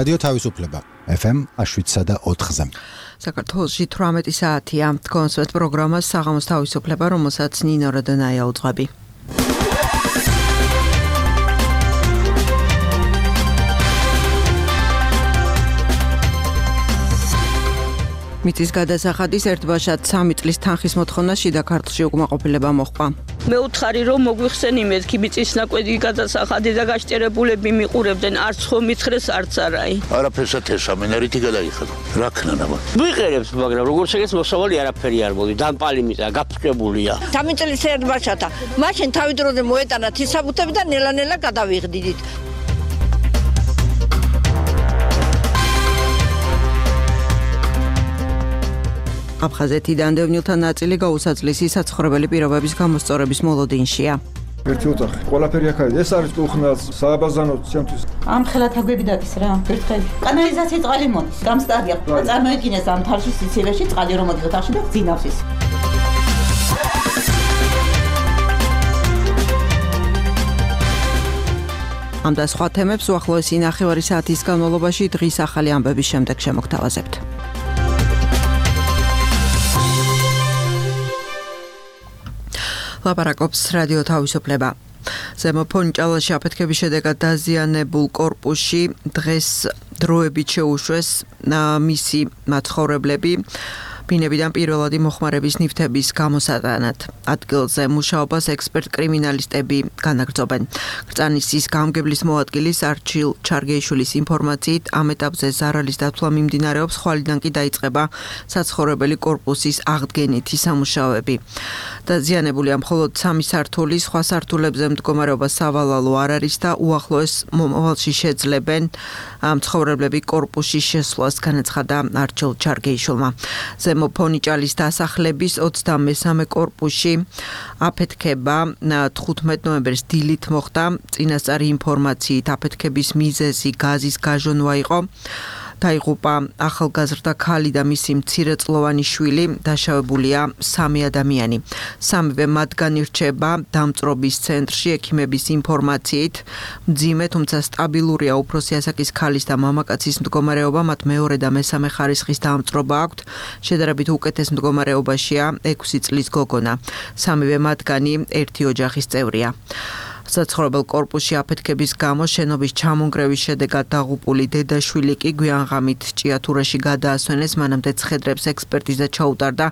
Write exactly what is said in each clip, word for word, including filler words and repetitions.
რადიო თავისუფლება ეფ ემ შვიდსა და ოთხზე. საქართველოში თვრამეტი საათია. კონსვერტ პროგრამას საღამოს თავისუფლება, რომელსაც ნინო როდონაია უძღვები. მიწის გადასახადის ერთბაშად სამი წლის თანხის მოთხოვნა შიდა ქართლში უკმაყოფილება მოჰყვა. მე ვუთხარი რომ მოგვიხსენი მეთქი მიწის ნაკვეთი გადასახადი და გაშტერებულები მიყურებდნენ არც ხო მითხრეს არც არაი. არაფერსად ესამენ რითი გადაიხადო. რა ქნანა? ვიყერებს, მაგრამ როგორც ეგეც მოსავალი არაფერი არ მოდი. დამპალი მიწა გაფრთხებულია. სამი წლის ერთბაშათა. მაშინ თავი დროზე მოეტანათ ისაბუთები და ნელა-ნელა გადავიღდიდით. აფხაზეთიდან დევნილთა ნაწილი გაუსაძლისი საცხოვრებელი პირობების გამოსწორების მოლოდინშია. ერთი ოთახი. ყველაფერი აქ არის. ეს არის კუხნაც, სააბაზანო ჩემთვის. ამ ხელათა გვებიდაკის რა. ერთხელი. კანალიზაციის წყალი მოდის. გამსტარია. წარმოიდგინეს ამ თარში სიცივეში წყალი რომ მოდის ოთახში და გძინავს ის. ამ და სხვა თემებს უახლოესი ნახევარი საათის განმავლობაში დღის ახალი ამბების შემდეგ შემოგთავაზებთ. ლაპარაკობს რადიო თავისუფლება. ზემო ფონჭალაში აფეთქების შედეგად დაზიანებულ კორპუსში დღეს დროებით შეუშვეს მისი მაცხოვრებლები ბინებიდან პირველადი მოხმარების ნივთების გამოსატანად. ადგილზე მუშაობას ექსპერტ კრიმინალისტები განაგრძობენ. კრწანისის გამგებლის მოადგილის არჩილ ჩარგეიშვილის ინფორმაციით ამ ეტაპზე ზარალის დათვლა მიმდინარეობს, ხვალიდან კი დაიწყება საცხოვრებელი კორპუსის აღდგენითი სამუშაოები. დაზიანებულია მხოლოდ სამი სართული, სხვა სართულებზე მდგომარეობა სავალალო არ არის და უახლოეს მომავალში შეძლებენ მცხოვრებლები კორპუსში შესვლას, განაცხადა არჩილ ჩარგეიშვილმა. ზემო ფონიჭალის დასახლების ოცდამესამე კორპუსში აფეთქება თხუთმეტ ნოემბერს დილით მოხდა. წინასწარი ინფორმაციით აფეთქების მიზეზი გაზის გაჟონვა იყო. დაიღუპა ახალგაზრდა ქალი და მისი მცირეწლოვანი შვილი, დაშავებულია სამი ადამიანი. სამივე მათგანი რჩება დამწრობის ცენტრში. ექიმების ინფორმაციით მძიმე, თუმცა სტაბილურია უფროსი ასაკის ქალის და მამაკაცის მდგომარეობა, მათ მეორე და მესამე ხარისხის დამწრობა აქვთ. შედარებით უკეთეს მდგომარეობაშია ექვსი წლის გოგონა. სამივე მათგანი ერთი ოჯახის წევრია. საცხოვრებელ კორპუსში აფეთქების გამო შენობის ჩამონგრევის შედეგად დაღუპული დედაშვილი კი გვიანღამით ჭიათურაში გადაასვენეს, მანამდე ცხედრებს ექსპერტიზა ჩაუტარდა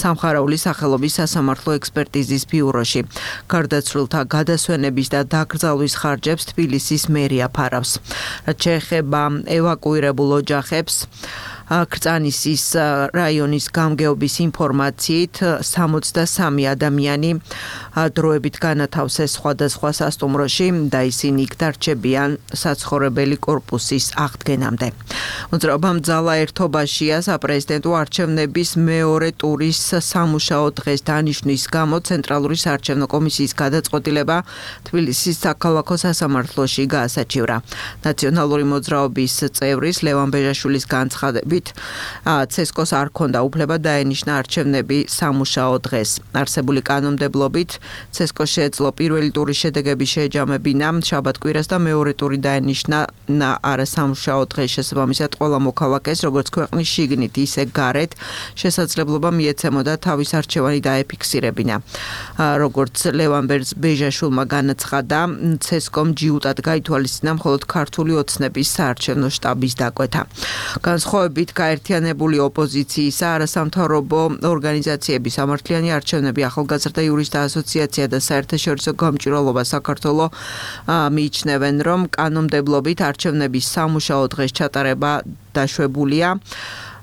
სამხარაულის სახელობის სასამართლო ექსპერტიზის ბიუროში. გარდაცვლილთა გადასვენების და დაკრძალვის ხარჯებს თბილისის მერია ფარავს. რაც შეეხება ევაკუირებულ ოჯახებს, კრწანისის რაიონის გამგეობის ინფორმაციით სამოცდასამი ადამიანი დროებით განათავსეს სხვადასხვა სასტუმროში და ისინი იქ დარჩებიან საცხოვრებელი კორპუსის აღდგენამდე. მოძრაობამ ძალა ერთობაშია საპრეზიდენტო არჩევნების მეორე ტურის სამუშაო დღეს დანიშნვის გამო ცენტრალური საარჩევნო კომისიის გადაწყვეტილება თბილისის საქალაქო სასამართლოში გაასაჩივრა. ნაციონალური მოძრაობის წევრის ლევან ბეჟაშვილის განცხადებით ცესკოს არ ქონდა უფლება დაენიშნა არჩევნები სამუშაო დღეს. არსებული კანონმდებლობით ცესკოს შეეძლო პირველი ტურის შედეგები შეეჯამებინა შაბათ-კვირას და მეორე ტური დაენიშნა არასამუშაო დღეს. შესაბამისად ყველა მოქალაქეს, როგორც ქვეყნის შიგნით, ისე გარეთ, შესაძლებლობა მიეცემოდა თავის არჩევანი დაეფიქსირებინა. როგორც ლევან ბეჟაშვილმა განაცხადა, ცესკომ ჯიუტად გაითვალისწინა მხოლოდ ქართული ოცნების საარჩევნო შტაბის დაკვეთა. განსხვავებით გაერთიანებული ოპოზიციისა, არასამთავრობო ორგანიზაციების სამართლიანი არჩევნები, ახალგაზრდა იურისტთა ასოციაცია და საერთაშორისო გამჭვირვალობა საქართველოს მიიჩნევენ, რომ კანონმდებლობით არჩევნების სამუშაო დღეს ჩატარება დაშვებულია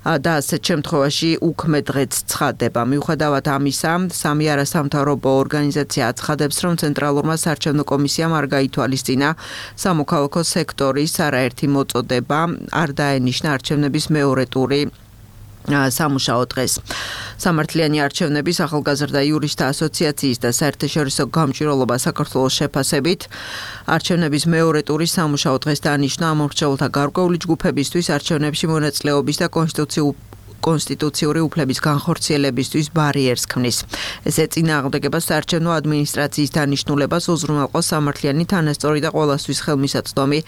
და ასეთ შემთხვევაში უქმე დღეც ცხადდება. მიუხედავად ამისა, სამი არასამთავრობო ორგანიზაცია აცხადებს, რომ ცენტრალურმა საარჩევნო კომისიამ არ გაითვალისწინა სამოქალაქო სექტორის არაერთი მოწოდება, არ დაენიშნა არჩევნების მეორე ტური სამუშაო დღეს. სამართლიანი არჩევნების ახალგაზრდა იურისტთა ასოციაციის და საერთაშორისო გამჭვირვალობა საქართველოს შეფასებით არჩევნების მეორე ტურის სამუშაო დღეს დანიშნა ამორჩეულთა გარკვეული ჯგუფებისთვის არჩევნებში მონაწილეობის და კონსტიტუციურ კონსტიტუციური უფლების განხორციელებისთვის ბარიერს ქმნის. ეს ეწინააღმდეგება საარჩევნო ადმინისტრაციის დანიშნულებას უზრუნველყოს სამართლიანი თანასწორი და ყველასთვის ხელმისაწვდომი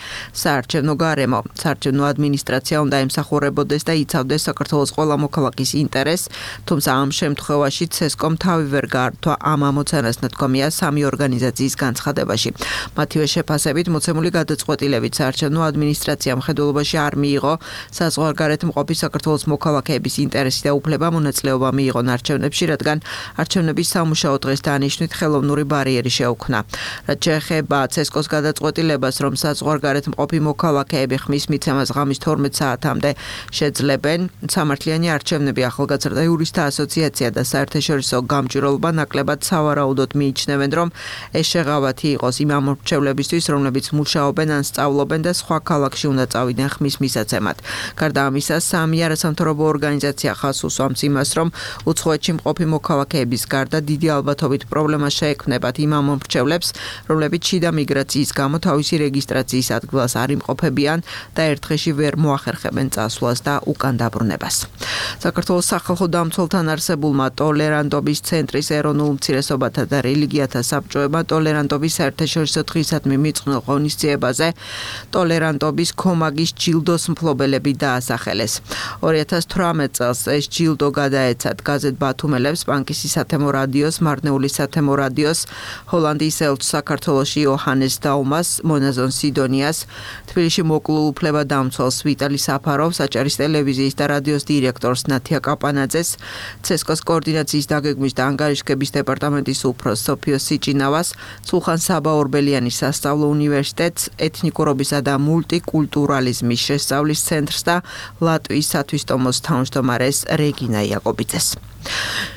საარჩევნო გარემო. საარჩევნო ადმინისტრაცია უნდა ემსახურებოდეს და იცავდეს საქართველოს ყველა მოქალაქის ინტერესს, თუმცა ამ შემთხვევაში ცესკომ თავი ვერ გაართვა ამ ამოცანას ნათქვამია სამი ორგანიზაციის განცხადებაში. მათივე შეფასებით მოცემული გადაწყვეტილებით საარჩევნო ადმინისტრაციამ ხედულობაში არ მიიღო საზღვარგარეთ მყოფი საქართველოს მოქალაქეების ინტერესი და უფლება მონაწილეობა მიიღონ არჩევნებში, რადგან არჩევნების სამუშაო დღეს დანიშვნით ხელოვნური ბარიერი შეუქმნა. რაც შეეხება ცესკოს გადაწყვეტილებას, რომ საზღვარგარეთ მყოფი მოქალაქეები ხმის მიცემას ღამის თორმეტ საათამდე შეძლებენ, სამართლიანი არჩევნები ახალგაზრდა იურისტთა ასოციაცია და საერთაშორისო გამჭვირვალობა ნაკლებად სავარაუდოდ მიიჩნევენ, რომ ეს შეღავათი იყოს იმ ამორჩევლებისთვის, რომლებიც მუშაობენ ან სწავლობენ და სხვა ქალაქში უნდა წავიდნენ ხმის მისაცემად. გარდა ამისა, სამი არასამთავრობო ორგანიზაცია ხაზს უსვამს იმას, რომ უცხოეთში მყოფი მოქალაქეების გარდა დიდი ალბათობით პრობლემა შეექმნებათ იმ ამორჩევლებს, რომლებიც შიდა მიგრაციის გამო თავისი რეგისტრაციის ადგილას არ იმყოფებიან და ერთ დღეში ვერ მოახერხებენ წასვლას და უკან დაბრუნებას. საქართველოს სახალხო დამცველთან არსებულმა ტოლერანტობის ცენტრის ეროვნულ უმცირესობათა და რელიგიათა საბჭოებმა ტოლერანტობის საერთაშორისო დღისადმი მიწყნილ ღონისძიებაზე ტოლერანტობის ქომაგის ჯილდოს მფლობელები დაასახელეს. ორი ათას თვრამეტ წელს ეს ჯილდო გადაეცათ გაზეთ ბათუმელებს, პანკისის სათემო რადიოს, მარნეულის სათემო რადიოს, ჰოლანდიის ელჩს საქართველოში იოჰანეს დაუმას, მონაზონ სიდონიას, თბილისში მოკლულ უფლებადამცველს ვიტალი საფაროვს, აჭარის ტელევიზიის და რადიოს დირექტორს ნათია კაპანაძეს, ცესკოს კოორდინაციის დაგეგმვის და ანგარიშგების დეპარტამენტის უფროსს სოფიო სიჭინავას, სულხან საბა ორბელიანის სასწავლო უნივერსიტეტს, ეთნიკურობისა და მულტიკულტურალიზმის შესწავლის ცენტრს და ლატვიის სათვისტომოს თავმჯდომარეს რეგინა იაკობიძეს.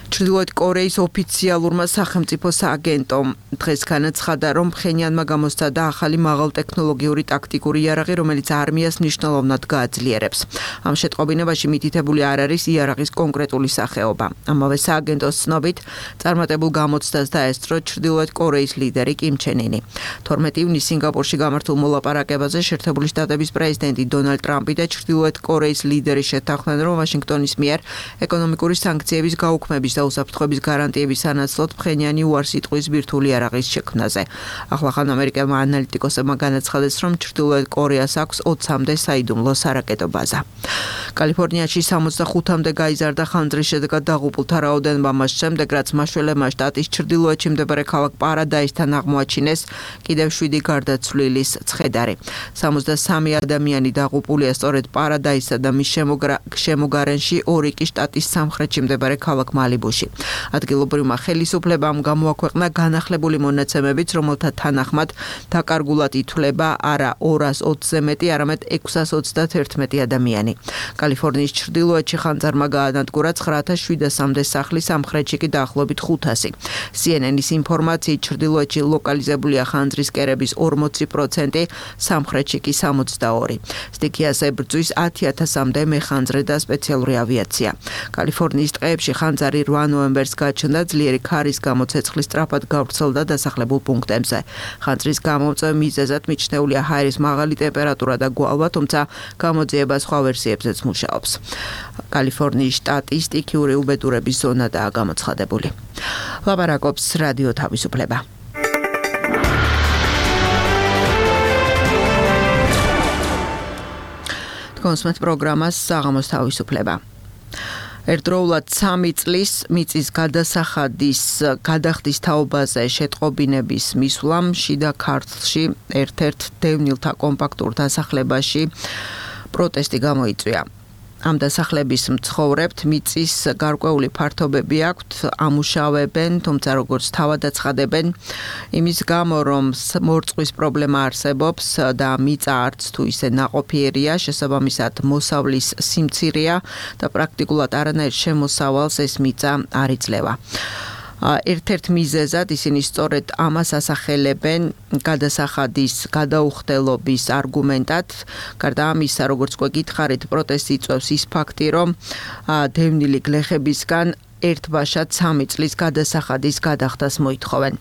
ჩრდილოეთ კორეის ოფიციალურმა სახელმწიფო სააგენტომ დღეს განაცხადა, რომ ფხენიანმა გამოსცადა ახალი მაღალტექნოლოგიური ტაქტიკური იარაღი, რომელიც არმიას მნიშვნელოვნად გააძლიერებს. ამ შეტყობინებაში მითითებული არ არის იარაღის კონკრეტული სახეობა. ამავე სააგენტოს ცნობით, წარმატებულ გამოცდას დაესწრო ჩრდილოეთ კორეის ლიდერი კიმ ჩენ ინი. თორმეტ ივნისს სინგაპურში გამართულ მოლაპარაკებაზე შეერთებული შტატების პრეზიდენტი დონალდ ტრამპი და ჩრდილოეთ კორეის ლიდერი შეთანხმდნენ, რომ ვაშინგტონის მიერ ეკონომიკური სანქციების გაუქმების და უსაფრთხოების გარანტიების სანაცვლოდ ფხენიანი უარს იტყვის ბირთვული იარაღის შექმნაზე. ახლახან ამერიკელმა ანალიტიკოსებმა განაცხადეს, რომ ჩრდილოეთ კორეას აქვს ოცამდე საიდუმლო სარაკეტო ბაზა. კალიფორნიაში სამოცდახუთამდე გაიზარდა ხანძრის შედეგად დაღუპულთა რაოდენობა მას შემდეგ, რაც მაშველებმა შტატის ჩრდილოეთში მდებარე ქალაქ პარადაისთან აღმოაჩინეს კიდევ შვიდი გარდაცვლილის ცხედარი. სამოცდასამი ადამიანი დაღუპულია სწორედ პარადაისსა და მის შემოგარენში ორი კი შტატის სამხრეთში მდებარე ქალაქ მალიბუში. ადგილობრივმა ხელისუფლებამ გამოაქვეყნა განახლებული მონაცემებიც, რომელთა თანახმად დაკარგულად ითვლება არა ორას ოცზე მეტი, არამედ ექვსას ოცდაათერთმეტი ადამიანი. კალიფორნიის ჩრდილოეთში ხანძარმა გაანადგურა ცხრა ათას შვიდასამდე სახლი, სამხრეთში კი დაახლოებით ხუთასი. სი ენ ენის ინფორმაციით ჩრდილოეთში ლოკალიზებულია ხანძრის კერების ორმოცი პროცენტი, სამხრეთში კი სამოცდაორი. სტიქიას ებრძვის ათი ათასამდე მეხანძრე და სპეციალური ავიაცია. კალიფორნიის ტყეებში ხანძარი რვა ნოემბერს გაჩნდა, ძლიერი ქარის გამო ცეცხლი სწრაფად გავრცელდა დასახლებულ პუნქტებზე. ხანძრის გამომწვევ მიზეზად მიჩნეულია ჰაერის მაღალი ტემპერატურა და გვალვა, თუმცა გამოძიება სხვა ვერსიებზეც მუშაობს. კალიფორნიის შტატის სტიქიური უბედურების ზონადაა გამოცხადებული. ლაპარაკობს რადიო თავისუფლება. კონსმეთ პროგრამას საღამოს თავისუფლება. ერთდროულად სამი წლის მიწის გადასახადის გადახდის თაობაზე შეტყობინების მისვლამ შიდა ქართლში ერთ-ერთ დევნილთა კომპაქტურ დასახლებაში პროტესტი გამოიწვია. ამ დასახლების მცხოვრებთ მიწის გარკვეული ფართობები აქვთ, ამუშავებენ, თუმცა როგორც თავად აცხადებენ, იმის გამო რომ მორწყვის პრობლემა არსებობს და მიწა არც თუ ისე ნაყოფიერია, შესაბამისად მოსავლის სიმცირეა და პრაქტიკულად არანაირ შემოსავალს ეს მიწა არ იძლევა. ერთ-ერთ მიზეზად ისინი სწორედ ამას ასახელებენ გადასახადის გადაუხდელობის არგუმენტად. გარდა ამისა, როგორც უკვე გითხარით, პროტესტი იწვევს ის ფაქტი, რომ დევნილი გლეხებისგან ერთბაშად სამი წლის გადასახადის გადახდას მოითხოვენ.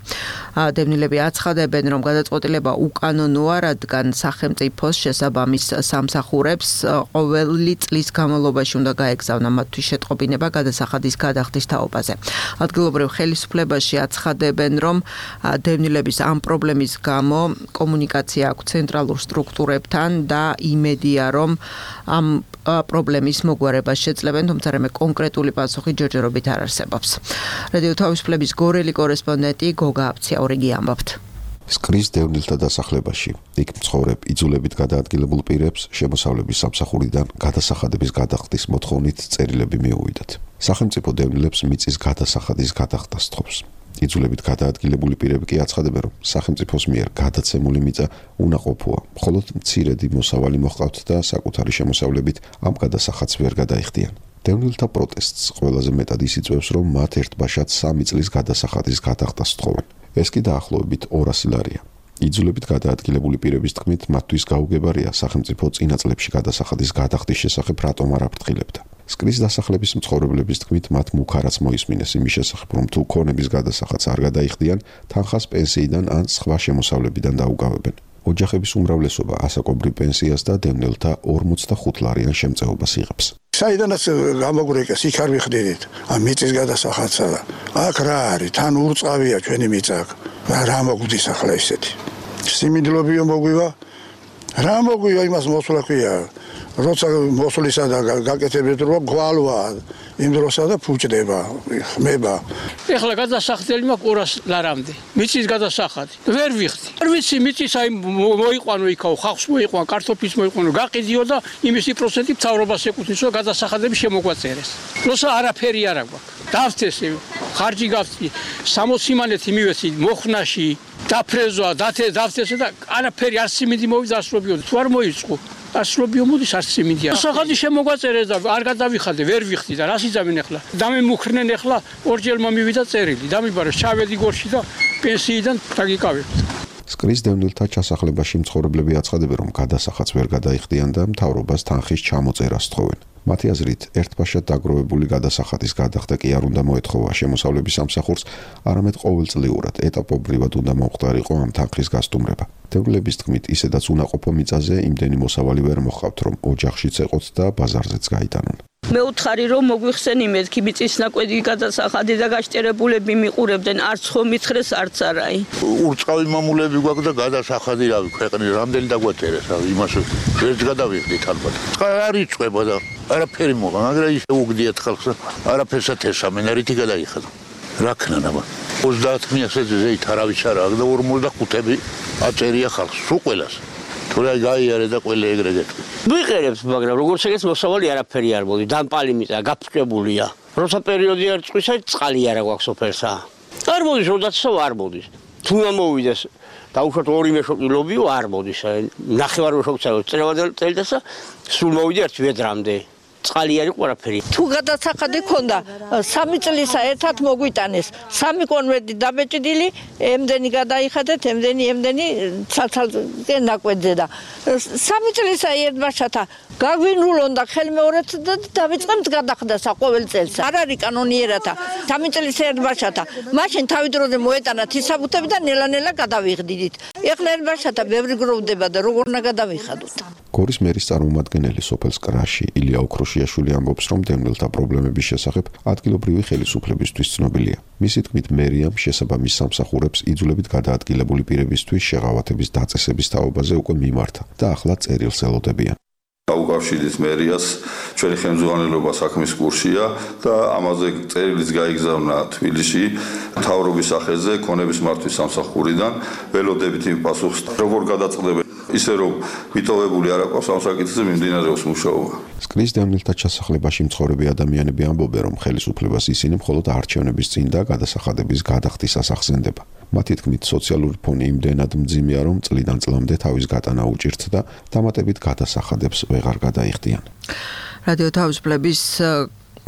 დევნილები აცხადებენ, რომ გადაწყვეტილება უკანონოა, რადგან სახელმწიფოს შესაბამის სამსახურებს ყოველი წლის განმავლობაში უნდა გაეგზავნა მათთვის შეტყობინება გადასახადის გადახდის თაობაზე. ადგილობრივ ხელისუფლებაში აცხადებენ, რომ დევნილების ამ პრობლემის გამო კომუნიკაცია აქვს ცენტრალურ სტრუქტურებთან და იმედია, რომ ამ პრობლემის მოგვარებას შეძლებენ, თუმცა რამე კონკრეტული პასუხი ჯერჯერობით არ არსებობს. რადიო თავისუფლების გორელი კორესპონდენტი გოგა აბციაურიგი ამბობთ. სკრის დევნილთა დასახლებაში იქ მცხოვრებ იძულებით გადაადგილებულ პირებს შემოსავლების სამსახურიდან გადასახადების გადახდის მოთხოვნით წერილები მიუვიდათ. სახელმწიფო დევნილებს მიწის გადასახადის გადახდას თხოვს. იძულებით გადაადგილებული პირები კი აცხადებენ, რომ სახელმწიფოს მიერ გადაცემული მიწა უნაყოფოა, მხოლოდ მცირედი მოსავალი მოჰყავთ და საკუთარი შემოსავლებით ამ გადასახადს ვერ გადაიხდიან. დევნილთა პროტესტს ყველაზე მეტად ის იწვევს, რომ მათ ერთბაშად სამი წლის გადასახადის გადახდას თხოვენ. ეს კი დაახლოებით ორასი ლარია. იძულებით გადაადგილებული პირების თქმით, მათთვის გაუგებარია სახელმწიფო წინა წლებში გადასახადის გადახდის შესახებ რატომ არ აფრთხილებდა. სკრის დასახლების მცხოვრებლების თქმით, მათ მუქარაც მოისმინეს იმის შესახებ, რომ თუ ქონების გადასახადს არ გადაიხდიან, თანხას პენსიიდან ან სხვა შემოსავლებიდან დაუგავებენ. ოჯახების უმრავლესობა ასაკობრივ პენსიას და დევნილთა ორმოცდახუთ ლარიან შემწეობას იღებს. საიდანაც გამოგვრეკეს, იქ არ ვიხდიდით. ამ მიწის გადასახადსა და აქ რა არის? თან ურწყავია ჩვენი მიწა. რა მოგვდის ახლა ისეთი? სიმინდლობიო მოგვივა? რა მოგვივა იმას მოსვლა ქვია? როცა მოსვლისა და გაკეთებით რომ გვალვა იმ დროსა და ფუჭდება, ხმება. ეხლა გადასახდელი მაქვს ორასი ლარამდე. მიწის გადასახადი. ვერ ვიხდი. არ ვიცი მიწის აი მოიყვანო იქაო, ხალხს მოიყვანო, კარტოფილს მოიყვანო, გაყიდიო და იმისი პროცენტი მთავრობას ეკუთვნის, რომ გადასახადები შემოგვაწერეს. როცა არაფერი არ აქვს. დავთესე, ხარჯი გავწი, სამოციმანეთი მივეცი მოხნაში, დაფრეზვა, დავთესე და არაფერი არ სიმინდი მოვიდა ასრობიო. თუ არ მოიწყო ასრობიო მოდის არ სიმინდია. სახადი შემოგვაწერეს და არ გადავიხადე, ვერ ვიხდი და რას იზამენ ახლა? დამემუქრნენ ახლა ორჯერ მომივიდა წერილი. დამიბარეს ჩავედი გორში და პენსიიდან დაგიკავებთ. სკრის დევნილთა ჩასახლებაში მცხოვრებლები აცხადებენ, რომ გადასახადს ვერ გადაიხდიან და მთავრობას თანხის ჩამოწერას თხოვენ. მათი აზრით, ერთბაშად დაგროვებული გადასახადის გადახდა კი არ უნდა მოეთხოვა შემოსავლების სამსახურს, არამედ ყოველწლიურად ეტაპობრივად უნდა მომხდარიყო ამ თანხის გასტუმრება. დევნილების თქმით, ისედაც უნაყოფო მიწაზე იმდენი მოსავალი ვერ მოჰყავთ, რომ ოჯახშიც ეყოთ და ბაზარზეც გაიტანონ. მე უთხარი რომ მოგვიხსენი მეთქი მიწის ნაკვეთი გადასახადი და გაშტერებულები მიყურებდნენ არც ხომ მითხრეს არც არაი. ურწყავი მამულები გვაქვს და გადასახადი რავი ქვეყნის რამდენი დაგვაწერეს რავი იმას ვერც გადავიხდით ალბათ. არ იწובה და არაფერი მოყვა, მაგრამ ისე უგდიათ ხალხს არაფერსად ესამენ არითი გადაიხადა. რა ქნა აბა ოცდაათი მიასეზე ზეით არავის არ აქვს და ორმოცდახუთი აწერია ხალხს სულ ყველას. თუ რა გაიარე და ყველა ეგრე გეტყვი. ვიყერებს, მაგრამ როგორც ეგეც მოსავალი არაფერი არ მოდი, დამპალი მიწა გაფრთხებულია. როცა პერიოდი არ წვისა, წყალი არ აქვს სოფელსა. არ მოდის, როდესაც არ მოდის. თუ უნდა მოვიდეს, დაუშვათ ორი მეშოკილობიო არ მოდის. ნახევარ მეშოკიცაა წელვადელ წელდასა, სულ მოვიდა ერთ ვედრამდე. წყალი არ იყო არაფერი. თუ გადასახადი ქონდა, სამი წლისა ერთად მოგვიტანეს. სამი კონვერტი დაბეჭდილი, ემდენი გადაიხადეთ, ემდენი, ემდენი ცალ-ცალკე ნაკვეთზე და სამი წლისა ერთბაშათა გაგვინულონ და ხელმეორედ და დავიწყებთ გადახდასა ყოველ წელს. არ არის კანონიერათა. სამი წლის ერთბაშათა. მაშინ თავი დროზე მოეტანათ ისაბუთები და ნელა-ნელა გადავიღდით. ეხლა ერთბაშათა ბევრი გროვდება და როგორ უნდა გადავიხადოთ. გორის მერის წარმომადგენელი სოფელ სკრაში ილია ოქროშიაშვილი ამბობს, რომ დევნილთა პრობლემების შესახებ ადგილობრივი ხელისუფლებისთვის ცნობილია. მისი თქმით, მერიამ შესაბამის სამსახურებს იძულებით გადაადგილებული პირებისთვის შეღავათების დაწესების თაობაზე უკვე მიმართა და ახლა წერილს ელოდებიან. გაუკავშირეთ მერიას, ჩვენი ხელმძღვანელობა საქმის კურსია და ამაზე წერილიც გაიგზავნა თბილისში მთავრობის სახელზე ქონების მართვის სამსახურიდან. ველოდებით იმ პასუხს, როგორ გადაწყდებენ. ისე რომ ვიტოვებული არ აქვს ამ საკითხზე მიმდინარეობს მუშაობა. სკრის დევნილთა ჩასახლებაში მცხოვრები ადამიანები ამბობენ, რომ ხელისუფლებას ისინი მხოლოდ არჩევნების წინ და გადასახადების გადახდისას ახსენდება. მათი თქმით, სოციალური ფონი იმდენად მძიმეა, რომ წლიდან წლამდე თავის გატანა უჭირთ და დამატებით გადასახადებს ვეღარ გადაიხდიან. რადიო თავისუფლების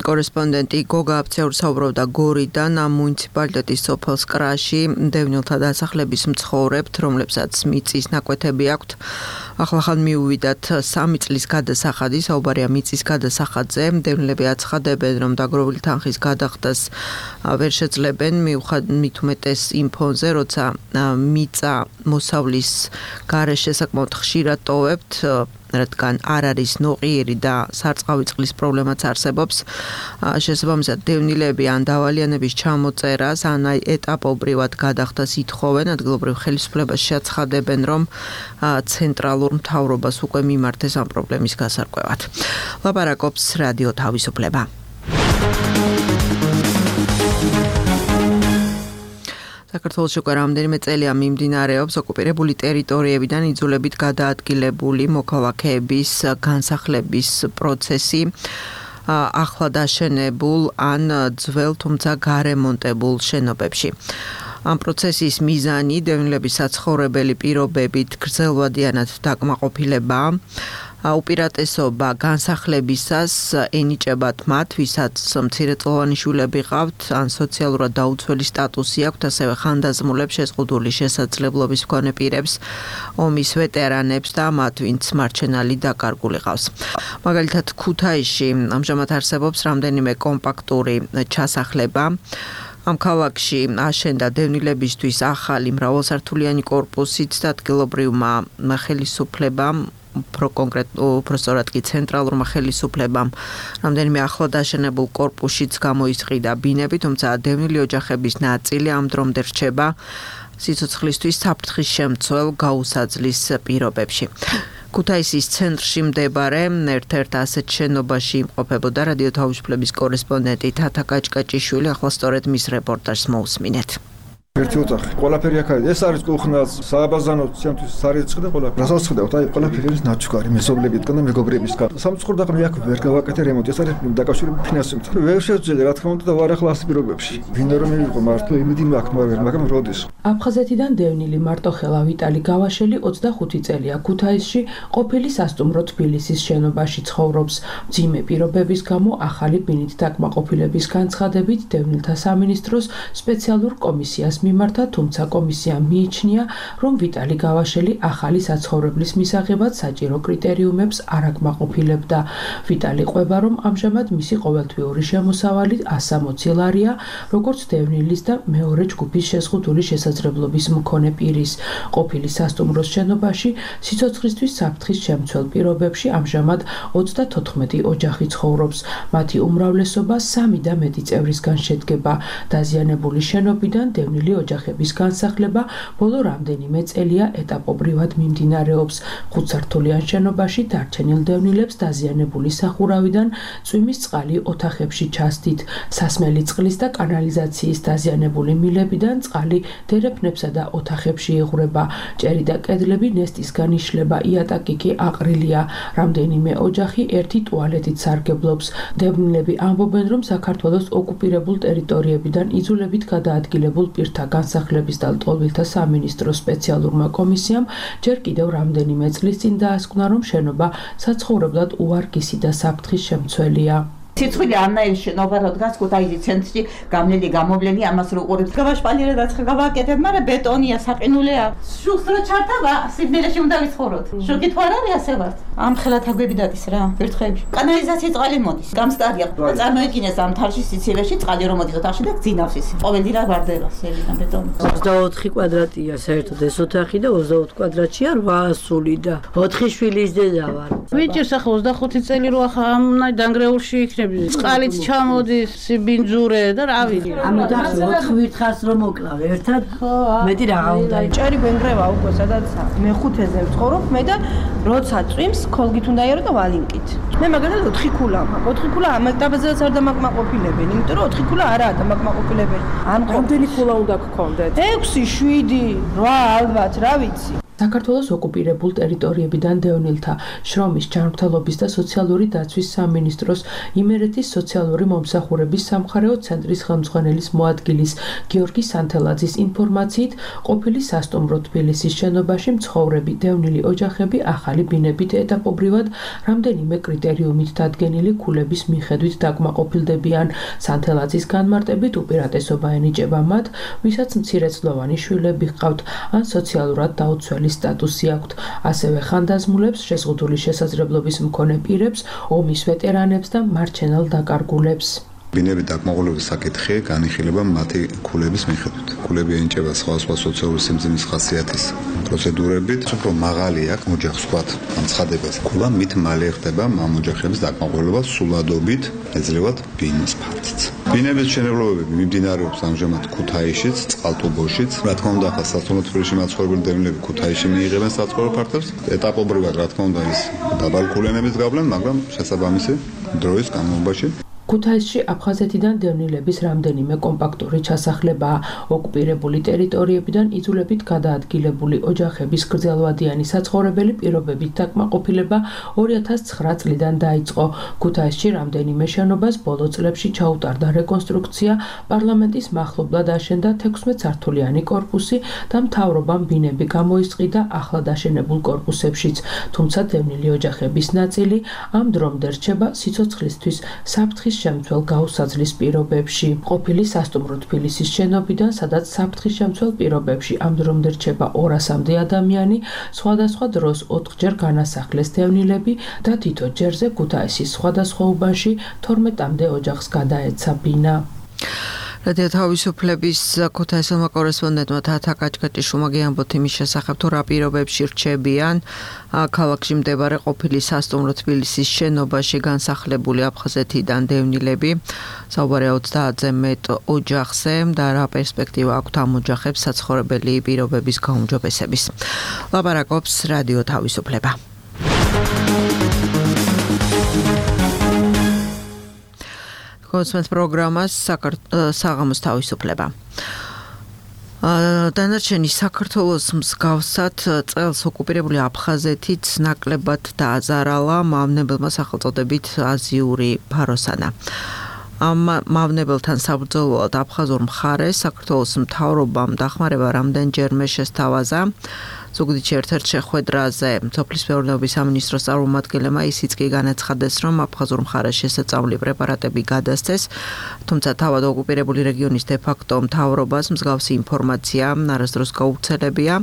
კორესპონდენტი გოგა აბციაური საუბრობდა გორიდან ამ მუნიციპალიტეტის სოფელ სკრაში დევნილთა დასახლების მცხოვრებთ, რომლებსაც მიწის ნაკვეთები აქვთ. ახლახან მიუვიდათ სამი წლის გადასახადი, საუბარია მიწის გადასახადზე. მდევნილები აცხადებენ, რომ დაგროვილი თანხის გადახდას ვერ შეძლებენ, მით უმეტეს იმ ფონზე, როცა მიწა მოსავლის გარეშე საკმაოდ ხშირად ტოვებთ, რადგან არ არის ნოყიერი და სარწყავი წყლის პრობლემაც არსებობს. შესაბამისად, დევნილები ან დავალიანების ჩამოწერას, ან აი ეტაპობრივად გადახდას ითხოვენ, ადგილობრივ ხელისუფლებას შეაცხადებენ, რომ ცენტრალურ მთავრობას უკვე მიმართეს ამ პრობლემის გასარკვევად. ლაპარაკობს რადიო თავისუფლება. საქართველოში უკვე რამდენიმე წელია მიმდინარეობს ოკუპირებული ტერიტორიებიდან იძულებით გადაადგილებული მოქალაქეების განსახლების პროცესი ახლა დაშენებულ ან ძველ, თუმცა გარემონტებულ შენობებში. ამ პროცესის მიზანი დევნილების საცხოვრებელი პირობებით გრძელვადიანად დაკმაყოფილება, უპირატესობა განსახლებისას ენიჭებათ მათ, ვისაც მცირეწლოვანი შვილები ყავთ, ან სოციალურად დაუცველი სტატუსი აქვთ, ასევე ხანდაზმულებს, შეზღუდული შესაძლებლობის მქონე პირებს, ომის ვეტერანებს და მათ, ვინც მარჩენალი დაკარგული ყავს. მაგალითად, ქუთაისში ამჟამად არსებობს რამდენიმე კომპაქტური ჩასახლება. ამ ქალაქში აშენდა დევნილებისთვის ახალი მრავალსართულიანი კორპუსიც და ადგილობრივმა ხელისუფლებამ, უფრო კონკრეტულად კი ცენტრალურმა ხელისუფლებამ რამდენიმე ახლად დაშენებულ კორპუსშიც გამოისყიდა ბინები, თუმცა დევნილი ოჯახების ნაწილი ამ დრომდე რჩება სიცოცხლისთვის საფრთხის შემცველ გაუსაძლის პირობებში. ქუთაისის ცენტრში მდებარე ერთ-ერთ ასეთ შენობაში იმყოფებოდა რადიო თავისუფლების კორესპონდენტი თათა კაჭკაჭიშვილი, ახლა სწორედ მის რეპორტაჟს მოусმინეთ. ერთი ოთახი. ყველაფერი აქ არის. ეს არის კუხნაც, სააბაზანო, ჩემთვის სარიცხი და ყველაფერი. რასაც ხედავთ, აი ყველაფერი არის ნაჩუქარი, მეზობლებისგან და მეგობრებისგან. სამწუხაროდ მე აქ ვერ გავაკეთე რემონტი, ეს არის დაკავშირებული ფინანსებთან. ვერ შევძელე რა თქმა უნდა და ვარ ახლა ასეთ პირობებში. ვინ რომ მივიღო მართლა იმედი მაქვს, მაგრამ მაგრამ როდის. აფხაზეთიდან დევნილი მარტოხელა ვიტალი გავაშელი ოცდახუთი წელია ქუთაისში ყოფილი სასტუმრო თბილისის შენობაში ცხოვრობს. მძიმე პირობების გამო ახალი ბინით დაკმაყოფილების განცხადებით დევნილთა სამინისტროს სპეციალურ კომისიას მიმართა, თუმცა კომისიამ მიიჩნია, რომ ვიტალი გავაშელი ახალი საცხოვრებლის მისაღებად საჭირო კრიტერიუმებს არ აკმაყოფილებდა. ვიტალი ყვება, რომ ამჟამად მისი ყოველთვიური შემოსავალი ასამოცი ლარია, როგორც დევნილის და მეორე ჯგუფის შეზღუდული შესაძლებლობის მქონე პირის. ყოფილი სასტუმროს შენობაში სიცოცხლისთვის საფრთხის შემცველ პირობებში ამჟამად ოცდათოთხმეტი ოჯახი ცხოვრობს. მათი უმრავლესობა სამი და მეტი წევრისგან შედგება. დაზიანებული შენობიდან დევნილი ოჯახების განსახლება ბოლო რამდენიმე წელია ეტაპობრივად მიმდინარეობს. ხუთსართულიან შენობაში დარჩენილ დევნილებს დაზიანებული სახურავიდან წვიმის წყალი ოთახებში ჩასდით. სასმელი წყლის და კანალიზაციის დაზიანებული მილებიდან წყალი დერეფნებსა და ოთახებში იღვრება. ჭერი და კედლები ნესტისგან იშლება, იატაკი კი აყრილია. რამდენიმე ოჯახი ერთი ტუალეტით სარგებლობს. დევნილები ამბობენ, რომ საქართველოს ოკუპირებულ ტერიტორიებიდან იძულებით გადაადგილებულ პირთა განსახლების და ლტოლვილთა სამინისტროს სპეციალურმა კომისიამ ჯერ კიდევ რამდენიმე წლის წინ დაასკვნა, რომ შენობა საცხოვრებლად უარგისი და საფრთხის შემცველია. ციცხვილი ამნაირი შენობა რადგან ქუთაისის ცენტრში გამნელი გამოვლენი ამას რო ყურებთ. გავაშპალიერე და გავაკეთებ, მაგრამ ბეტონია, საყინულია. შუს რო ჩართავა, სიბნელეში უნდა ვიცხოვროთ. შოკი თუ არ არის ასე ვართ. ამ ხელათ აგვები დადის რა, ვერთხები. კანალიზაციის წყალი მოდის. გამსტარია. წარმოეკინეს ამ თალში სიცილეში წყალი რომ მოდის ოთახში და გძინავს ის. ყოველდღე რა ვარდება სელიდან ბეტონი. ოცდაოთხი კვადრატია საერთოდ ეს ოთახი და ოცდაოთხ კვადრატშია რვაასული და ოთხი შვილის დედა ვარ. ვიჭირს ახლა ოცდახუთი წელი რო ახლა ამნაირ დანგრეულში იქნებ. წყალიც ჩამოდის, სიბინძურე და რა ვიცი. ამიტომ ოთხ ვირთხარს რომ მოკლავ ერთად. მეტი რაღა უნდა. ჭერი გვენგრევა უკვე სადაც მეხუთეზე ვცხოვრობ მე და როცა წვიმს ქოლგით უნდა იარო და ვალინკით. მე მაგალითად ოთხი ქულა მაქვს. ოთხი ქულა ამ ეტაპზეც არ დამაკმაყოფილებენ, იმიტომ რომ ოთხი ქულა არაა დამაკმაყოფილებელი. ამ რამდენი ქულა უნდა გქონდეთ? ექვსი, შვიდი, რვა ალბათ, რა ვიცი. საქართველოს ოკუპირებულ ტერიტორიებიდან დევნილთა შრომის ჯანმრთელობის და სოციალური დაცვის სამინისტროს იმერეთის სოციალური მომსახურების სამხარეო ცენტრის ხელმძღვანელის მოადგილის გიორგი სანთელაძის ინფორმაციით ყოფილი სასტუმრო თბილისის შენობაში მცხოვრები დევნილი ოჯახები ახალი ბინებით ეტაპობრივად რამდენიმე კრიტერიუმით დადგენილი ქულების მიხედვით დაკმაყოფილდებიან. სანთელაძის განმარტებით უპირატესობა ენიჭება მათ, ვისაც მცირეწლოვანი შვილები ჰყავთ ან სოციალურად დაუცველი მკვლელის სტატუსი აქვთ. ასევე ხანდაზმულებს, შეზღუდული შესაძლებლობის მქონე პირებს, ომის ვეტერანებს და მარჩენალ დაკარგულებს. ბინების დაკმაყოფილების საკითხი განიხილება მათი ქულების მიხედვით. ქულები ენიჭება სხვადასხვა სოციალური სიმძიმის ხასიათის პროცედურებით, უფრო მაღალი აქვს ოჯახს ვთქვათ, ამ ცხადებას. ქულა მით მალე ხდება ამ ოჯახების დაკმაყოფილება სულადობით, ეძლევათ ბინის ფართიც. ბინების მშენებლობები მიმდინარეობს ამჟამად ქუთაისშიც, წყალტუბოშიც. რა თქმა უნდა, ახლა სასწავლო თბილისში მაცხოვრებელი დევნილები ქუთაისში მიიღებენ საცხოვრებელ ფართობს. ეტაპობრივად, რა თქმა უნდა, ის დაბალი ქულიანების გავლენ, მაგრამ შესაბამისი დროის განმავლობაში ქუთაისში აფხაზეთიდან დევნილების რამდენიმე კომპაქტური ჩასახლებაა. ოკუპირებული ტერიტორიებიდან იძულებით გადაადგილებული ოჯახების გრძელვადიანი საცხოვრებელი პირობებით დაკმაყოფილება ორი ათას ცხრა წლიდან დაიწყო. ქუთაისში რამდენიმე შენობას ბოლო წლებში ჩაუტარდა რეკონსტრუქცია, პარლამენტის მახლობლად აშენდა თექვსმეტსართულიანი კორპუსი და მთავრობამ ბინები გამოისყიდა ახლად აშენებულ კორპუსებშიც. თუმცა დევნილი ოჯახების ნაწილი ამ დრომდე რჩება სიცოცხლისთვის საფრთხის შემცველ გაუსაძლის პირობებში. ყოფილი სასტუმრო თბილისის შენობიდან, სადაც საფრთხის შემცველ პირობებში ამ დრომდე რჩება ორასამდე ადამიანი, სხვადასხვა დროს ოთხჯერ განასახლეს დევნილები და თითო ჯერზე ქუთაისის სხვადასხვა უბანში თორმეტამდე ოჯახს გადაეცა ბინა. რადიო თავისუფლების ქუთაისელმა კორესპონდენტმა თათა კაჭკაჭიშვილმა გეამბოთ იმის შესახებ, თუ რა პირობებში რჩებიან ქალაქში მდებარე ყოფილი სასტუმრო თბილისის შენობაში განსახლებული აფხაზეთიდან დევნილები. საუბარია ოცდაათზე მეტ ოჯახზე და რა პერსპექტივა აქვთ ამ ოჯახებს საცხოვრებელი პირობების გაუმჯობესების. ლაპარაკობს რადიო თავისუფლება. კონსმენს პროგრამას საღამოს თავისუფლება. დანარჩენი საქართველოს მსგავსად წელს ოკუპირებული აფხაზეთიც ნაკლებად დააზარალა მავნებელმა სახელწოდებით აზიური ფაროსანა. ამ მავნებელთან საბრძოლველად აფხაზურ მხარეს საქართველოს მთავრობამ დახმარება რამდენჯერმე შესთავაზა. ზუგდიდში ერთ-ერთ შეხვედრაზე სოფლის მეურნეობის სამინისტროს წარმომადგენლებმა ისიც კი განაცხადეს, რომ აფხაზურ მხარეს შესაძლებელი პრეპარატები გადასცეს, თუმცა თავად ოკუპირებული რეგიონის დე-ფაქტო მთავრობას მსგავსი ინფორმაცია არასდროს გაუცელებია.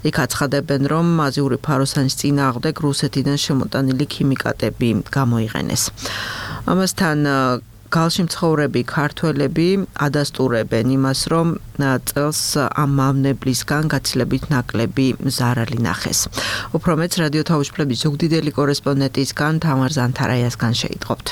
იქ აცხადებენ, რომ აზიური ფაროსანის წინააღმდეგ რუსეთიდან შემოტანილი ქიმიკატები გამოიყენეს. ამასთან გალში მცხოვრები ქართველები ადასტურებენ იმას, რომ წელს ამ მავნებლისგან გაცილებით ნაკლები ზარალი ნახეს. უფრო მეც რადიო თავისუფლების ზუგდიდელი კორესპონდენტისგან თამარ ზანთარაიასგან შეიტყობთ.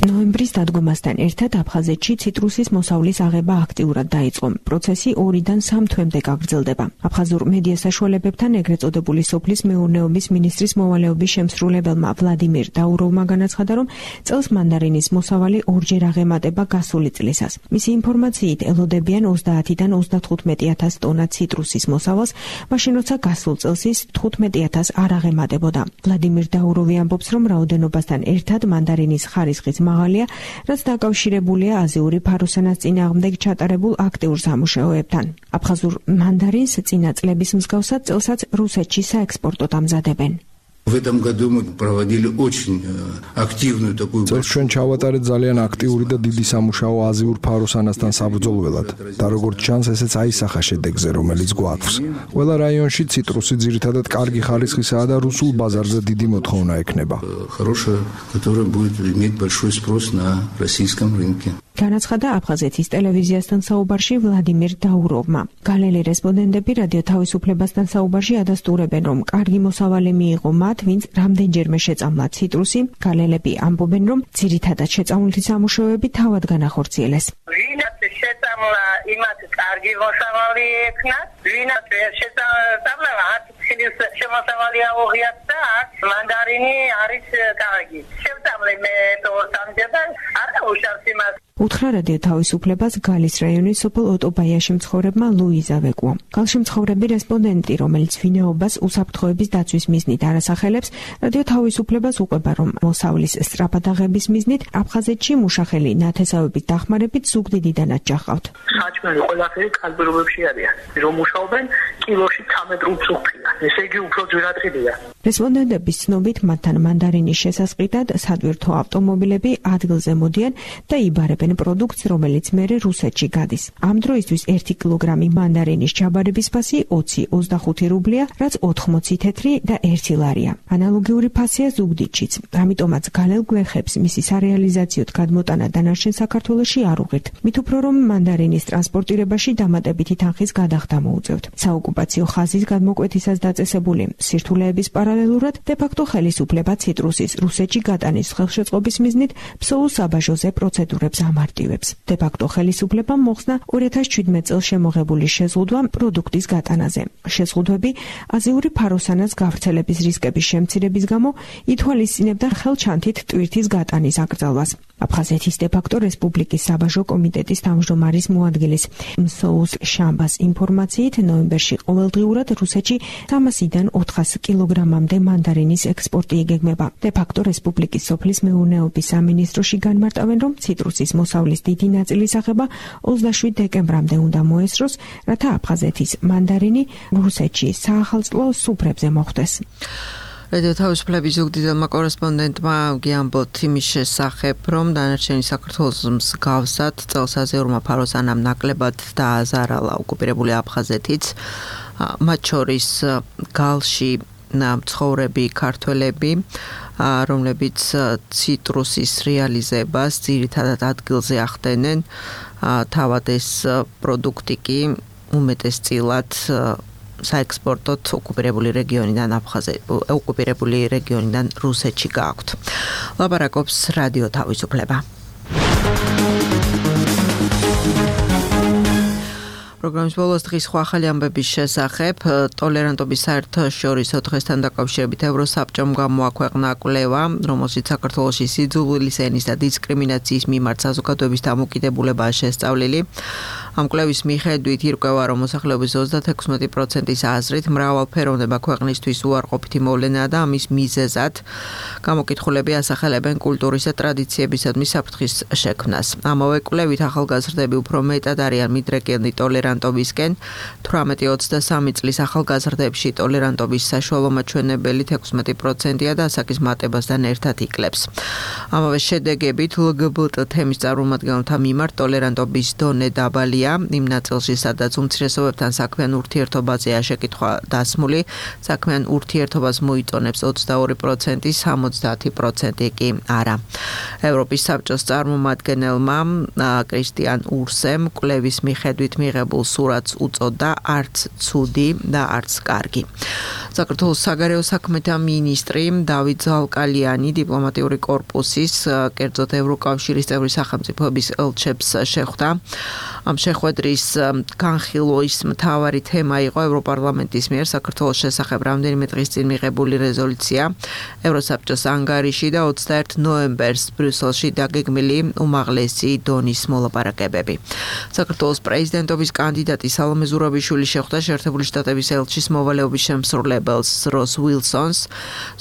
ნოემბრის დადგომასთან ერთად აფხაზეთში ციტრუსის მოსავლის აღება აქტიურად დაიწყო. პროცესი ორიდან სამ თვემდე გაგრძელდება. აფხაზურ მედია საშუალებებთან ეგრეთ წოდებული სოფლის მეურნეობის მინისტრის მოვალეობის შემსრულებელმა ვლადიმირ დაუროვმა განაცხადა, რომ წელს მანდარინის მოსავალი ორჯერ აღემატება გასული წლისას. მისი ინფორმაციით ელოდებიან ოცდაათიდან ოცდათხუთმეტი ათას ტონა ციტრუსის მოსავალს, მაშინ როცა გასულ წელს ის თხუთმეტი ათას არ აღემატებოდა. ვლადიმირ დაუროვი ამბობს, რომ რაოდენობასთან ერთად მანდარინის ხარისხის მაღალია, რაც დაკავშირებულია აზიური ფაროსანას წინააღმდეგ ჩატარებულ აქტიურ სამუშაოებთან. აფხაზურ მანდარინს წინა წლების მსგავსად წელსაც რუსეთში საექსპორტოდ ამზადებენ. В этом году мы проводили очень активную такую. წელს ჩვენ ჩავატარეთ ძალიან აქტიური და დიდი სამუშაო აზიურ ფაროსანასთან საბრძოლველად და როგორც ჩანს, ესეც აისახა შედეგზე, რომელიც გვაქვს. ყველა რაიონში ციტრუსი ძირითადად კარგი ხარისხისაა და რუსულ ბაზარზე დიდი მოთხოვნა ექნება. Хорошая, которая будет иметь большой спрос на российском рынке. განაცხადა აფხაზეთის ტელევიზიასთან საუბარში ვლადიმირ დაუროვმა. გალელი რესპონდენტები რადიო თავისუფლებასთან საუბარში ადასტურებენ, რომ კარგი მოსავალი მიიღო მათ, ვინც რამდენჯერმე შეწამლა ციტრუსი. გალელები ამბობენ, რომ ძირითადად შეწამლითი სამუშაოები თავად განახორციელეს. ვინაც შეწამლა, იმათ კარგი მოსავალი ექნათ, ვინაც შეწამლა, არც ხილის შემოსავალი აუღიათ და არც მანდარინი არის კარგი. შეწამლე მე თო სამჯერად არა უშავს იმას. უთხრა რადიო თავისუფლებას გალის რაიონის სოფელ ოტობაიაში მცხოვრებმა ლუიზა ვეკუამ. გალში მცხოვრები რესპონდენტი, რომელიც ვინაობას უსაფრთხოების დაცვის მიზნით არასახელებს, რადიო თავისუფლებას უყვება, რომ მოსავლის სწრაფად აღების მიზნით აფხაზეთში მუშახელი ნათესავების დახმარებით ზუგდიდიდანაც ჯახავთ. საჭმელი ყველაფერი კალბერობებში არიან. რომ მუშაობენ კილოში ცამეტ უცხოა. ესე იგი უფრო ძვირადღირია. respondentების ცნობით მათთან მანდარინის შესასყიდად სატვირთო ავტომობილები ადგილზე მოდიან და იბარებენ პროდუქტს, რომელიც მერე რუსეთში გადის. ამ დროისთვის ერთი კილოგრამი მანდარინის ჩაბარების ფასი ოცი ოცდახუთი რუბლია, რაც ოთხმოცი თეთრი და ერთი ლარია. ანალოგიური ფასია ზუგდიდშიც. ამიტომაც გალელ გვერხებს მისი სარეალიზაციოდ გადმოტანა დანარჩენ საქართველოში არ უღირთ. მით უფრო რომ მანდარინის ტრანსპორტირებაში დამატებითი თანხის გადახდა მოუწევთ. საოკუპაციო ხაზის გადმოკვეთისას დაწესებული სირთულეების პარალელურად დე-ფაქტო ხელისუფლება ციტრუსის რუსეთში გატანის ხელშეწყობის მიზნით ფსოუ საბაჟოზე პროცედურებს ამარტივებს. დე-ფაქტო ხელისუფლებამ მოხსნა ორი ათას შვიდმეტ წელს შემოღებული შეზღუდვა პროდუქტის გატანაზე. შეზღუდვები აზიური ფაროსანას გავრცელების რისკების შემცირების გამო ითვალისწინებდა ხელჩანთით ტვირთის გატანის აკრძალვას. აფხაზეთის დე-ფაქტო რესპუბლიკის საბაჟო კომიტეტის თავმჯდომარის მოადგილის მსოუს შამბას ინფორმაციით ნოემბერში ყოველდღიურად რუსეთში სამასიდან ოთხას კილოგრამამდე მანდარინის ექსპორტი იგეგმება. დე-ფაქტო რესპუბლიკის სოფლის მეურნეობის სამინისტროში განმარტავენ, რომ ციტრუსის მოსავლის დიდი ნაწილის აღება ოცდაშვიდ დეკემბრამდე უნდა მოესწროს, რათა აფხაზეთის მანდარინი რუსეთში საახალწლო სუფრებზე მოხვდეს. რადიო თავისუფლების ზუგდიდელმა კორესპონდენტმა გიამბოთ იმის შესახებ, რომ დანარჩენი საქართველოს მსგავსად წელს აზიურმა ფაროსანამ ნაკლებად დააზარალა ოკუპირებული აფხაზეთიც, მათ შორის გალში მცხოვრები ქართველები, რომლებიც ციტრუსის რეალიზებას ძირითადად ადგილზე ახდენენ, თავად ეს პროდუქტი კი უმეტესწილად საექსპორტოდ ოკუპირებული რეგიონიდან აფხაზე ოკუპირებული რეგიონიდან რუსეთში გააქვთ. ლაპარაკობს რადიო თავისუფლება. პროგრამის ბოლოს დღის სხვა ახალი ამბების შესახებ ტოლერანტობის საერთაშორისო დღესთან დაკავშირებით ევროსაბჭომ გამოაქვეყნა კვლევა, რომელშიც საქართველოში სიძულვილის ენის და დისკრიმინაციის მიმართ საზოგადოების დამოკიდებულებაა შესწავლილი. ამ კვლევის მიხედვით ირკვევა, რომ მოსახლეობის ოცდაექვსმეტი პროცენტის აზრით მრავალფეროვნება ქვეყნისთვის უარყოფითი მოვლენაა და ამის მიზეზად გამოკითხულები ასახელებენ კულტურის და ტრადიციებისადმი საფრთხის შექმნას. ამავე კვლევით ახალგაზრდები უფრო მეტად არიან მიდრეკილნი ტოლერანტობისკენ, თვრამეტი ოცდასამი წლის ახალგაზრდებში ტოლერანტობის საშუალო მაჩვენებელი ექვსმეტი პროცენტია და ასაკის მატებასთან ერთად იკლებს. ამავე შედეგებით ელ გი ბი ტი თემის წარმომადგენელთა მიმართ ტოლერანტობის დონე დაბალია იმ ნაწილში, სადაც უმცირესობებთან საქმიან ურთიერთობაზეა შეკითხვა დასმული, საქმიან ურთიერთობას მოიწონებს ოცდაორი პროცენტი, სამოცდაათი პროცენტი კი არა. ევროპის საბჭოს წარმომადგენელმა კრისტიან ურსემ კვლევის მიხედვით მიღებულ სურათს უწოდა არც ცუდი და არც კარგი. საქართველოს საგარეო საქმეთა მინისტრი დავით ზალკალიანი დიპლომატიური კორპუსის, კერძოდ ევროკავშირის წევრი სახელმწიფოების ელჩებს შეხვდა. ამ შეხვედრის განხილვის მთავარი თემა იყო ევროპარლამენტის მიერ საქართველოს შესახებ რამდენიმე დღის წინ მიღებული რეზოლუცია ევროსაბჭოს ანგარიში და ოცდაერთი ნოემბერს ბრიუსელში დაგეგმილი უმაღლესი დონის მოლაპარაკებები. საქართველოს პრეზიდენტობის კანდიდატი სალომე ზურაბიშვილი შეხვდა შეერთებული შტატების ელჩის მოვალეობის შემსრულებელს როს უილსონს.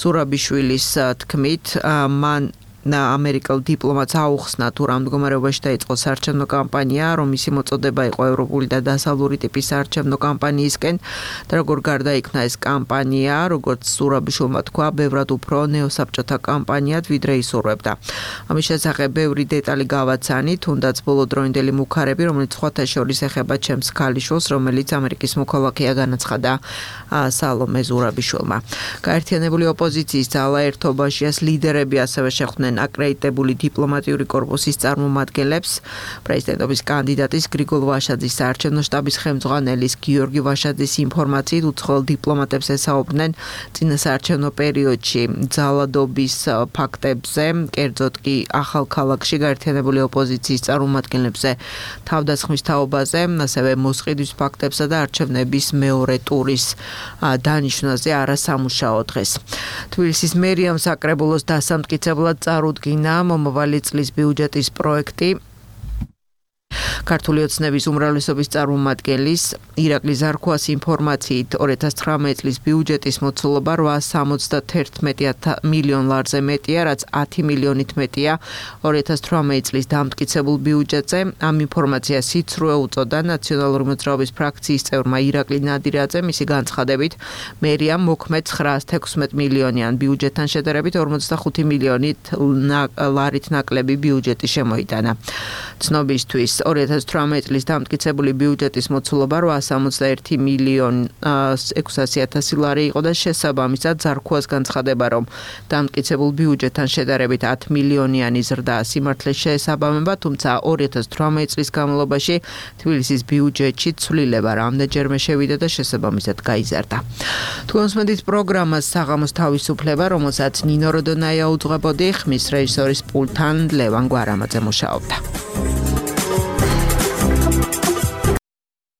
ზურაბიშვილის თქმით, მან ამერიკელ დიპლომატს აუხსნა თუ რა მდგომარეობაში დაიწყო საარჩევნო კამპანია, რომ მისი მოწოდება იყო ევროპული და დასავლური ტიპის საარჩევნო კამპანიისკენ და როგორ გარდაიქმნა ეს კამპანია, როგორც ზურაბიშვილმა თქვა, ბევრად უფრო ნეოსაბჭოთა კამპანიად ვიდრე ისურვებდა. ამის შესახებ ბევრი დეტალი გავაცანი, თუნდაც ბოლოდროინდელი მუქარები, რომელიც სხვათა შორის ეხება ჩემს ქალიშვილს, რომელიც ამერიკის მოქალაქეა, განაცხადა სალომე ზურაბიშვილმა. გაერთიანებული ოპოზიციის ძალა ერთობაშიას ლიდერები ასევე შეხვდნენ აკრედიტებული დიპლომატიური კორპუსის წარმომადგენლებს, პრეზიდენტობის კანდიდატის გრიგოლ ვაშაძის საარჩევნო შტაბის ხელმძღვანელის გიორგი ვაშაძის ინფორმაციით უცხოელ დიპლომატებს ესაუბრნენ წინასაარჩევნო პერიოდში ძალადობის ფაქტებზე, კერძოდ კი ახალქალაქში გაერთიანებული ოპოზიციის წარმომადგენლებზე თავდასხმის თაობაზე, ასევე მოსყიდვის ფაქტებსა და არჩევნების მეორე ტურის დანიშვნაზე არასამუშაო დღეს. თბილისის მერიამ საკრებულოს დასამტკიცებლად წარუდგინა მომავალი წლის ბიუჯეტის პროექტი. ქართული ოცნების უმრავლესობის წარმომადგენლის ირაკლი ზარქუას ინფორმაციით ორი ათას ცხრამეტი წლის ბიუჯეტის მოცულობა რვაას სამოცდაერთმეტი მილიონ ლარზე მეტია, რაც ათი მილიონით მეტია ორი ათას თვრამეტი წლის დამტკიცებულ ბიუჯეტზე. ამ ინფორმაციას სიცრუე უწოდა ნაციონალური მოძრაობის ფრაქციის წევრმა ირაკლი ნადირაძე. მისი განცხადებით, მერიამ მოქმედ ცხრაას თექვსმეტ მილიონიან ბიუჯეტთან შედარებით ორმოცდახუთი მილიონით ლარით ნაკლები ბიუჯეტი შემოიტანა. ცნობისთვის ორი ათას თვრამეტი წლის დამტკიცებული ბიუჯეტის მოცულობა რვაას სამოცდაერთი მილიონ ექვსასი ათასი ლარი იყო და შესაბამისად ზარქუას განცხადება, რომ დამტკიცებულ ბიუჯეტთან შედარებით ათი მილიონიანი ზრდა სიმართლეს შეესაბამება, თუმცა ორი ათას თვრამეტი წლის განმავლობაში თბილისის ბიუჯეტში ცვლილება რამდენჯერმე შევიდა და შესაბამისად გაიზარდა. თქვენს მედიის პროგრამას საღამოს თავისუფლება, რომელსაც ნინო როდონაია უძღვებოდი, ხმის რეჟისორის პულტთან ლევან გვარამაძე მუშაობდა.